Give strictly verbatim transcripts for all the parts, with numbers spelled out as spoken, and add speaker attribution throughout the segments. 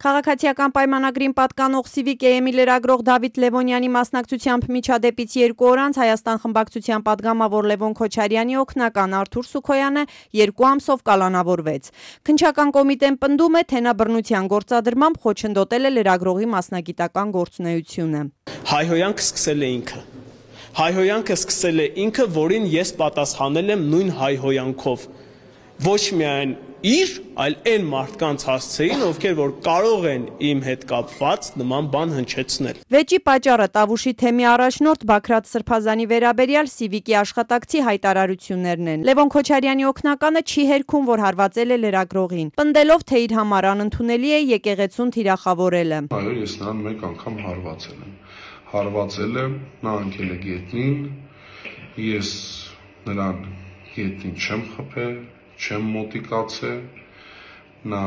Speaker 1: Քաղաքացիական պայմանագրին պատկանող Civic-ի լրագրող Դավիթ Լևոնյանի մասնակցությամբ միջադեպից երկու օր անց Հայաստան խմբակցության պատգամավոր Լևոն Քոչարյանի օգնական Արթուր Սուքոյանը երկու ամսով կալանավորվեց։ Քննչական կոմիտեն պնդում է, թե նա բռնության գործադրմամբ խոչընդոտել է լրագրողի մասնագիտական գործունեությունը։
Speaker 2: Հայհոյանքը սկսել է ինքը։ Հայհոյանքը սկսել է ինքը, որին ես պատասխանել եմ նույն հայհոյանքով։ Ոչ միայն իր, այլ այն մարդկանց հասցեին, ովքեր որ կարող են իմ հետ կապված նման բան հնչեցնել։
Speaker 1: Վեճի պատճառը Տավուշի թեմի առաջնորդ Բաքրատ Սրբազանի վերաբերյալ Civic-ի աշխատակցի հայտարարություններն են։ Լևոն Քոչարյանի օգնականը չի հերքում, որ հարվածել է լրագրողին, պնդելով, թե իր համար անընդունելի է եկեղեցուն թիրախավորելը։
Speaker 3: Այո, ես նրան մեկ անգամ հարվածել եմ։ Հարվածել եմ, նա անկել է գետնին, ես նրան գետնին չեմ խփել, չեմ մոտիկացել, նա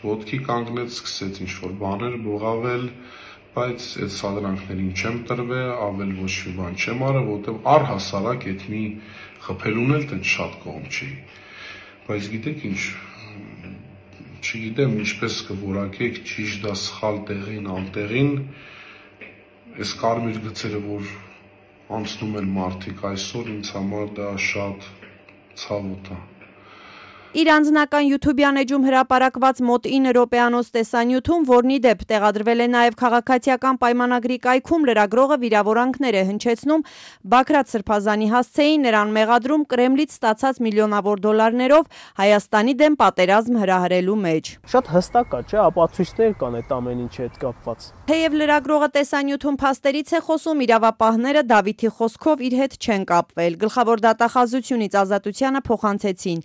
Speaker 3: ոտքի կանգնեց, սկսեց ինչ-որ բաներ բողավել, բայց այդ սադրանքներին չեմ տրվել, ավել ոչ մի բան չեմ արել, որտեղ առհասարակ այդ մի խփելուն էլ տենց շատ կողմ չի։ Բայց գիտեք ինչ, չգիտեմ ինչպես կորակեք, ճիշտ դա սխալ տեղին, անտեղին, այս կարմիր գծերը, որ անցնում են մարդիկ այսօր, ինձ համար դա շատ ցավոտ է։
Speaker 1: Իր անձնական YouTube-յան էջում հրապարակված մոտ ինը րոպեանոց տեսանյութում, որն ի դեպ տեղադրվել է նաև քաղաքացիական պայմանագրի կայքում, լրագրողը վիրավորանքներ է հնչեցնում Բաքրատ Սրբազանի հասցեին, նրան մեղադրում Կրեմլից ստացած միլիոնավոր դոլարներով Հայաստանի դեմ պատերազմ հրահրելու մեջ։
Speaker 4: Շատ հստակ է, չէ՞, ապացույցներ կան այդ ամեն ինչի հետ կապված։
Speaker 1: Թեև լրագրողը տեսանյութում փաստերից է խոսում, իրավապահները Դավիթի խոսքով իր հետ չեն կապվել։ Գլխավոր դատախազությունից ազատությանը փոխանցեցին։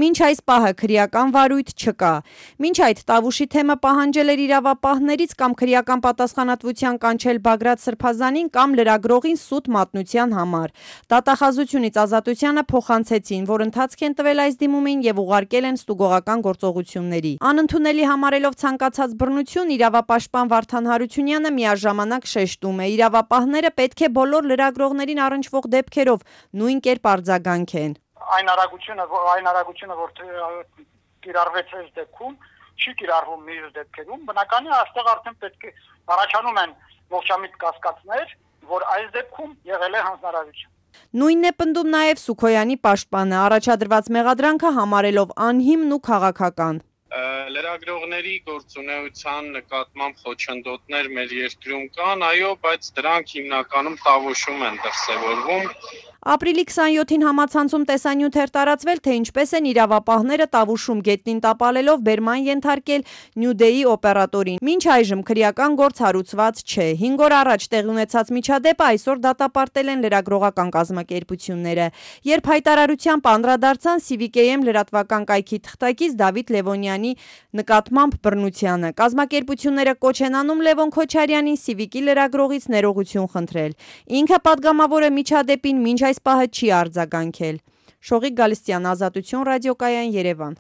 Speaker 1: Մինչ այս պահը քրեական վարույթ չկա։ Մինչ այդ Տավուշի թեմը պահանջել էր իրավապահներից կամ քրեական պատասխանատվության կանչել Բագրատ Սրբազանին կամ լրագրողին սուտ մատնության համար։ Դատախազությունից ազատությանը փոխանցեցին, որ ընթացք են տվել այս դիմումին եւ ուղարկել են ստուգողական գործողությունների։ Անընդունելի համարելով ցանկացած բռնություն, իրավապաշտպան Վարդան Հարությունյանը միաժամանակ շեշտում է, իրավապահները պետք է բոլոր լրագրողներին առնչվող դեպքերով նույն կերպ արձագանքեն։
Speaker 5: Այն արագությունը, այն արագությունը, որ կիրառվեց այս դեպքում, չի կիրառվում մյուս դեպքերում, բնականին այստեղ արդեն պետք է առաջանում են ողջամիտ կասկածներ, որ այս դեպքում եղել է հանձնարարություն։
Speaker 1: Նույնն է պնդում նաև Սուքոյանի պաշտպանը, առաջադրված մեղադրանքը համարելով անհիմն ու քաղաքական։
Speaker 6: Լրագրողների գործունեության նկատմամբ խոչընդոտներ մեր երկրում կան, այո, բայց դրանք հիմնականում Տավուշում են դրսևորվում։
Speaker 1: Ապրիլի քսանյոթին համացանցում տեսանյութ էր տարածվել, թե ինչպես են իրավապահները Տավուշում գետնին տապալելով բերման ենթարկել Նյուդեի օպերատորին։ Մինչ այժմ քրեական գործ հարուցված չէ։ հինգ օր առաջ տեղի ունեցած միջադեպը այսօր դատապարտել են լրագրողական կազմակերպությունները։ Երբ հայտարարությամբ անդրադարձան Civic-ի լրատվական կայքի թղթակից Դավիթ Լևոնյանի նկատմամբ բռնությանը, կազմակերպությունները կոչ են անում Լևոն Քոչարյանին Civic-ի լրագրողից ներողություն խնդրել։ Ինքը պատգամավոր է միջադեպին, մինչ այս պահը չի արձագանքել։ Շողիկ Գալստյան, Ազատություն ռադիոկայան, Երևան։